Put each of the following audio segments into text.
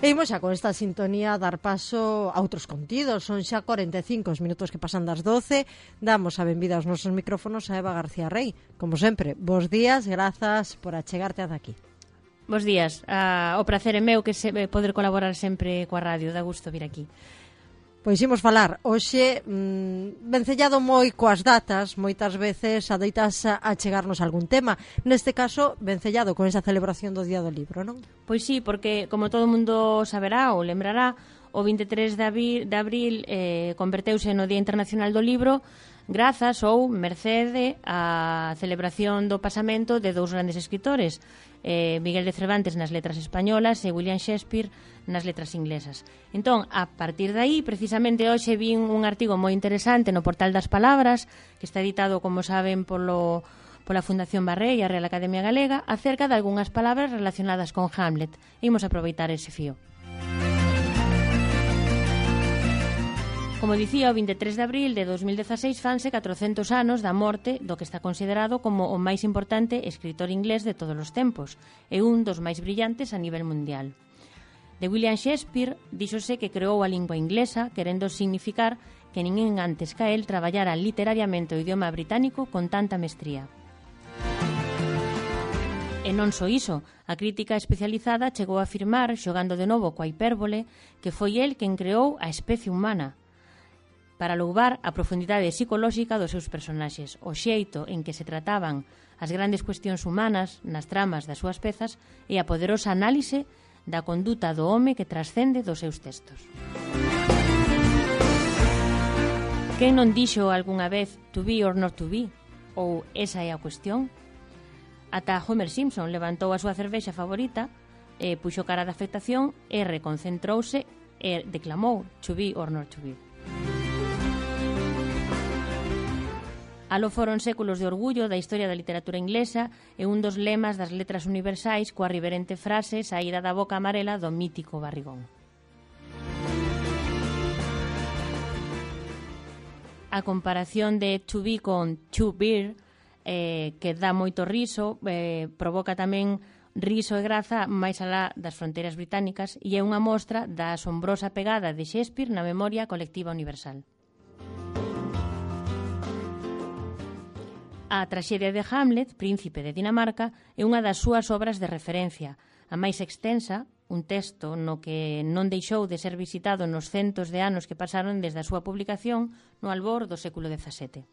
E imos xa con esta sintonía dar paso a outros contidos. Son xa 45 os minutos que pasan das 12. Damos a benvida aos nosos micrófonos a Eva García Rey. Como sempre, bos días, grazas por achegarte ata aquí. Bos días. O prazer é meu que poder colaborar sempre coa radio. Dá gusto vir aquí. Pois imos falar hoxe vencellado moi coas datas, moitas veces adoitas a chegarnos algún tema. Neste caso, vencellado con esa celebración do Día do Libro, non? Pois sí, porque como todo mundo saberá ou lembrará, o 23 de abril converteuse no Día Internacional do Libro grazas ou mercede á celebración do pasamento de dous grandes escritores, Miguel de Cervantes nas letras españolas e William Shakespeare nas letras inglesas. Entón, a partir de aí, precisamente hoxe vin un artigo moi interesante no Portal das Palabras, que está editado, como saben, pola Fundación Barré e a Real Academia Galega, acerca de algunhas palabras relacionadas con Hamlet. Imos aproveitar ese fío. Como dicía, o 23 de abril de 2016 fanse 400 anos da morte do que está considerado como o máis importante escritor inglés de todos os tempos e un dos máis brillantes a nivel mundial. De William Shakespeare díxose que creou a lingua inglesa querendo significar que ninguén antes ca el traballara literariamente o idioma británico con tanta mestría. E non só iso, a crítica especializada chegou a afirmar, xogando de novo coa hipérbole, que foi el quen creou a especie humana, para louvar a profundidade psicolóxica dos seus personaxes, o xeito en que se trataban as grandes cuestións humanas nas tramas das súas pezas e a poderosa análise da conduta do home que trascende dos seus textos. Quen non dixo algunha vez to be or not to be? Ou esa é a cuestión? Ata Homer Simpson levantou a súa cervexa favorita, puxo cara de afectación e reconcentrouse e declamou to be or not to be. Aló foron séculos de orgullo da historia da literatura inglesa e un dos lemas das letras universais coa riverente frase saída da boca amarela do mítico Barrigón. A comparación de to be con to be, que dá moito riso, provoca tamén riso e graza máis alá das fronteiras británicas e é unha mostra da asombrosa pegada de Shakespeare na memoria colectiva universal. A traxedia de Hamlet, príncipe de Dinamarca, é unha das súas obras de referencia, a máis extensa, un texto no que non deixou de ser visitado nos centos de anos que pasaron desde a súa publicación no albor do século XVII.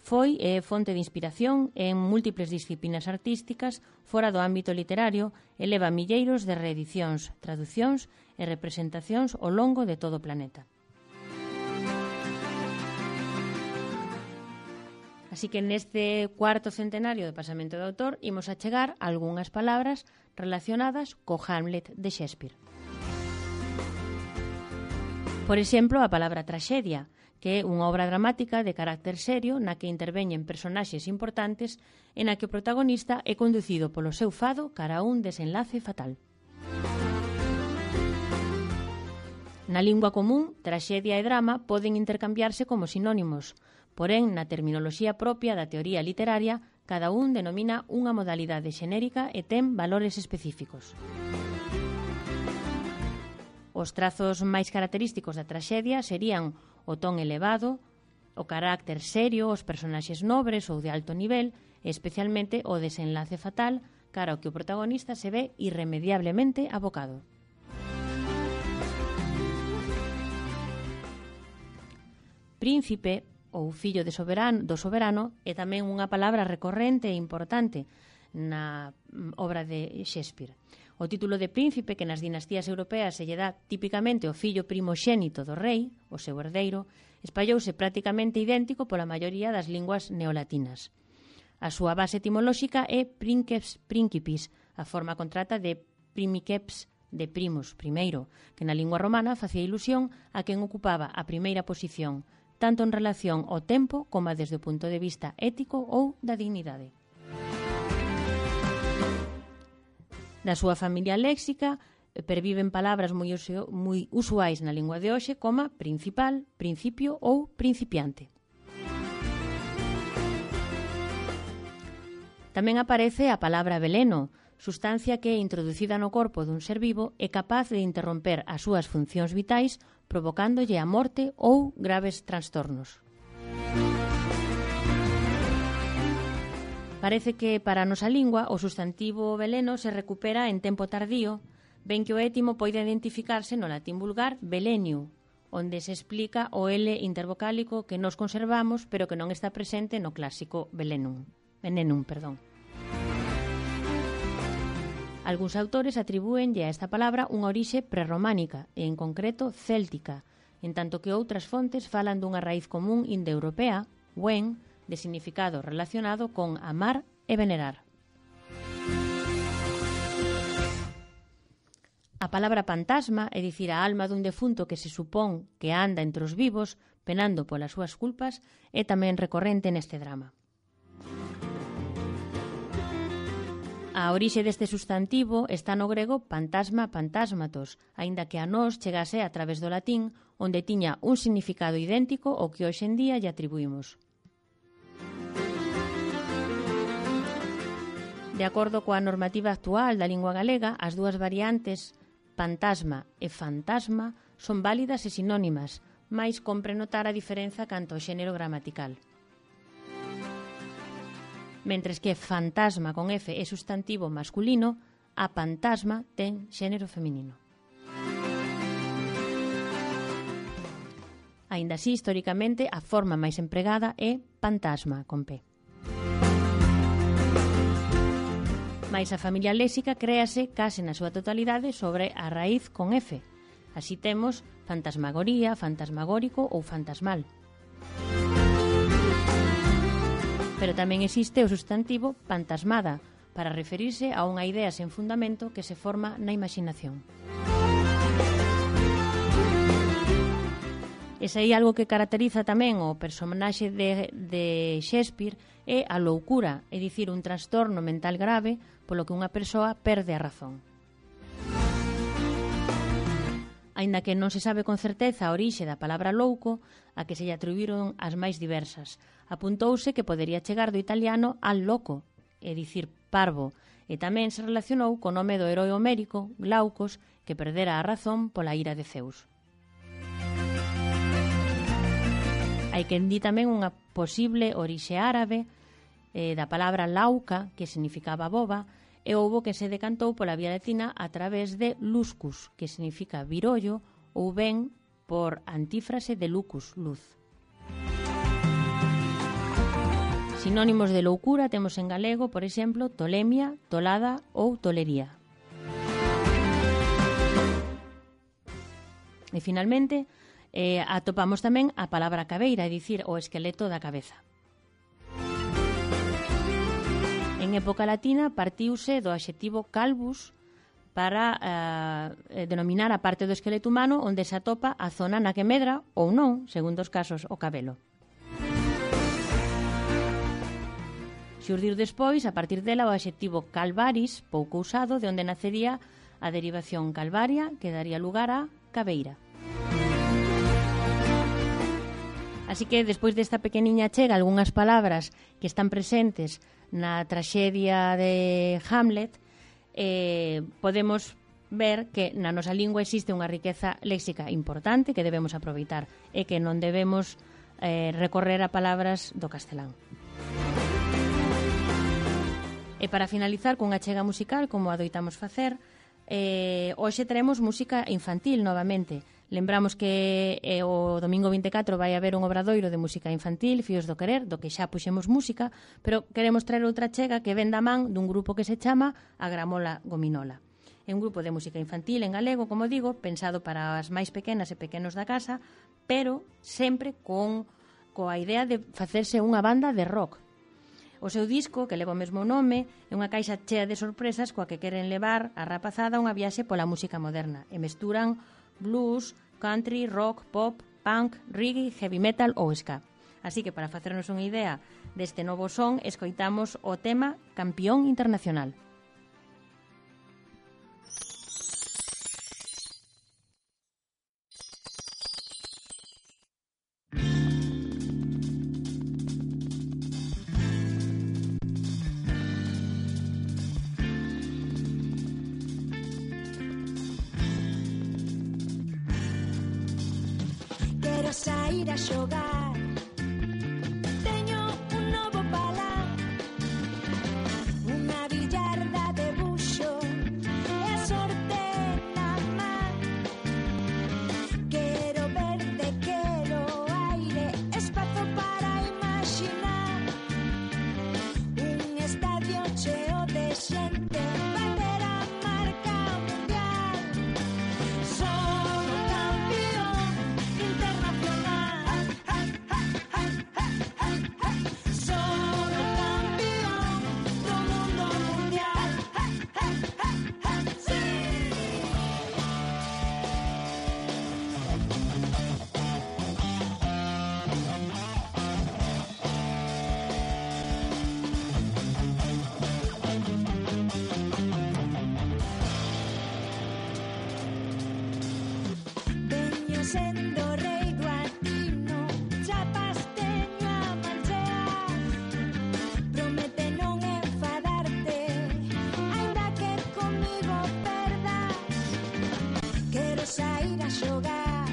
Foi e é fonte de inspiración en múltiples disciplinas artísticas fora do ámbito literario e leva milleiros de reedicións, traducións e representacións ao longo de todo o planeta. Así que neste cuarto centenario do pasamento do autor imos a chegar a algunhas palabras relacionadas co Hamlet de Shakespeare. Por exemplo, a palabra traxedia, que é unha obra dramática de carácter serio na que interveñen personaxes importantes e na que o protagonista é conducido polo seu fado cara a un desenlace fatal. Na lingua común, traxedia e drama poden intercambiarse como sinónimos, porén, na terminoloxía propia da teoría literaria, cada un denomina unha modalidade xenérica e ten valores específicos. Os trazos máis característicos da traxedia serían o ton elevado, o carácter serio, os personaxes nobres ou de alto nivel, e especialmente o desenlace fatal, cara ao que o protagonista se ve irremediablemente abocado. Príncipe ou fillo do soberano é tamén unha palabra recorrente e importante na obra de Shakespeare. O título de príncipe, que nas dinastías europeas se lle dá típicamente o fillo primoxénito do rei, o seu herdeiro, espallouse prácticamente idéntico pola maioría das linguas neolatinas. A súa base etimolóxica é princeps principis, a forma contrata de primiceps, de primus, primeiro, que na lingua romana facía ilusión a quen ocupaba a primeira posición, tanto en relación ao tempo como desde o punto de vista ético ou da dignidade. Da súa familia léxica perviven palabras moi usuais na lingua de hoxe como principal, principio ou principiante. Tamén aparece a palabra veleno, sustancia que, introducida no corpo dun ser vivo, é capaz de interromper as súas funcións vitais, provocándolle a morte ou graves trastornos. Parece que para a nosa lingua o sustantivo veleno se recupera en tempo tardío, ben que o étimo poida identificarse no latín vulgar veleniu, onde se explica o L intervocálico que nos conservamos pero que non está presente no clásico venenum. Algúns autores atribúenlle a esta palabra unha orixe prerrománica e, en concreto, céltica, en tanto que outras fontes falan dunha raíz común indoeuropea, wen, de significado relacionado con amar e venerar. A palabra fantasma, é dicir, a alma dun defunto que se supón que anda entre os vivos, penando polas súas culpas, é tamén recorrente neste drama. A orixe deste sustantivo está no grego fantasma fantasmatos, aínda que a nós chegase a través do latín, onde tiña un significado idéntico ao que hoxe en día lle atribuímos. De acordo coa normativa actual da lingua galega, as dúas variantes fantasma e fantasma son válidas e sinónimas, mais compre notar a diferenza canto ao xénero gramatical. Mentres que fantasma con F é sustantivo masculino, a pantasma ten xénero feminino. Aínda así, históricamente, a forma máis empregada é pantasma con P. Mais a familia léxica créase case na súa totalidade sobre a raíz con F. Así temos fantasmagoría, fantasmagórico ou fantasmal. Pero tamén existe o sustantivo fantasmada, para referirse a unha idea sen fundamento que se forma na imaginación. E se hai algo que caracteriza tamén o personaxe de Shakespeare é a loucura, é dicir, un trastorno mental grave polo que unha persoa perde a razón. Aínda que non se sabe con certeza a orixe da palabra louco, a que se lle atribuíron as máis diversas. Apuntouse que podería chegar do italiano al loco, é dicir, parvo, e tamén se relacionou co nome do heroe homérico, Glaucos, que perdera a razón pola ira de Zeus. Hai quen di tamén unha posible orixe árabe da palabra lauca, que significaba boba, e houbo que se decantou pola vía latina a través de luscus, que significa virollo, ou ben por antífrase de lucus, luz. Sinónimos de loucura temos en galego, por exemplo, tolemia, tolada ou tolería. E finalmente, atopamos tamén a palabra cabeira, é dicir, o esqueleto da cabeza. En época latina partiuse do adxetivo calvus para denominar a parte do esqueleto humano onde se atopa a zona na que medra ou non, segundo os casos, o cabelo. Xurdir despois, a partir dela, o adxetivo calvaris, pouco usado, de onde nacería a derivación calvaria, que daría lugar a cabeira. Así que, despois desta pequeniña chega, algunhas palabras que están presentes na traxedia de Hamlet, podemos ver que na nosa lingua existe unha riqueza léxica importante que debemos aproveitar e que non debemos recorrer a palabras do castelán. E para finalizar cunha chega musical, como adoitamos facer, hoxe teremos música infantil novamente. Lembramos que o domingo 24 vai haber un obradoiro de música infantil, Fíos do Querer, do que xa puxemos música, pero queremos traer outra chega que ven da man dun grupo que se chama A Gramola Gominola. É un grupo de música infantil en galego, como digo, pensado para as máis pequenas e pequenos da casa, pero sempre coa idea de facerse unha banda de rock. O seu disco, que leva o mesmo nome, é unha caixa chea de sorpresas coa que queren levar a rapazada a unha viaxe pola música moderna e mesturan blues, country, rock, pop, punk, reggae, heavy metal ou ska. Así que para facernos unha idea deste novo son, escoitamos o tema Campeón Internacional. sair a xogar. Teño un novo palán, unha billarda de buxo e a sorte na man. Quero verte, quero aire, espazo para imaginar. Un estadio cheo de xente, bater a marca mundial. Son o campeón internacional. Son o campeón do mundo mundial. Sí. Veño sendo rei do atino, chapas teño a manchear. Promete non enfadarte, aínda que comigo perdas. Quero sair a xogar,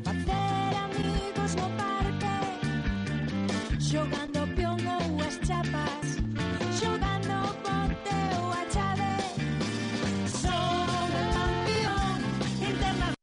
facer amigos no parque, xogando peón ou as chapas, xogando bote ou a chave. Son o campeón internacional.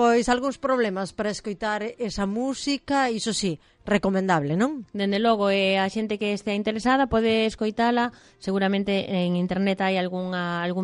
Pois algúns problemas para escoitar esa música, iso sí, recomendable, non? Dende logo, a xente que estea interesada pode escoitala. Seguramente en internet hai algún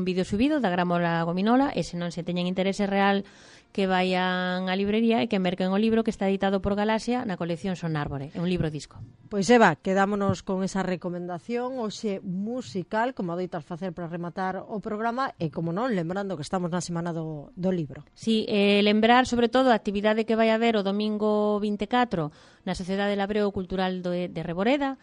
vídeo subido da Gramola Gominola, e se non se teñen interese real, que vayan á librería e que merquen o libro que está editado por Galaxia na colección Son Árbore. É un libro disco. Pois Eva, quedámonos con esa recomendación hoxe musical, como adoitas facer para rematar o programa, e como non, lembrando que estamos na semana do libro. Sí, lembrar sobre todo a actividade que vai haber o domingo 24 na Sociedade Labreo Cultural de Reboreda,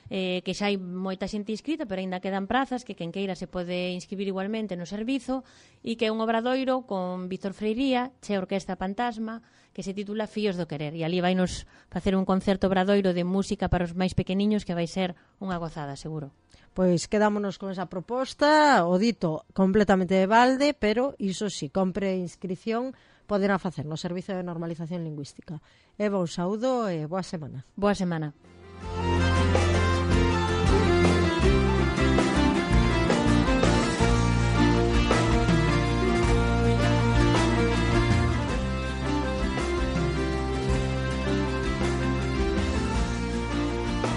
que xa hai moita xente inscrita, pero aínda quedan prazas, que quen queira se pode inscribir igualmente no servizo, e que é un obradoiro con Víctor Freiría, che Orquesta Fantasma, que se titula Fíos do Querer, e ali vai nos facer un concerto obradoiro de música para os máis pequeniños que vai ser unha gozada, seguro. Pois quedámonos con esa proposta, o dito completamente de balde, pero iso si, compre inscripción, poderá facer no Servizo de Normalización Lingüística. Eva, un saúdo e boa semana. Boa semana.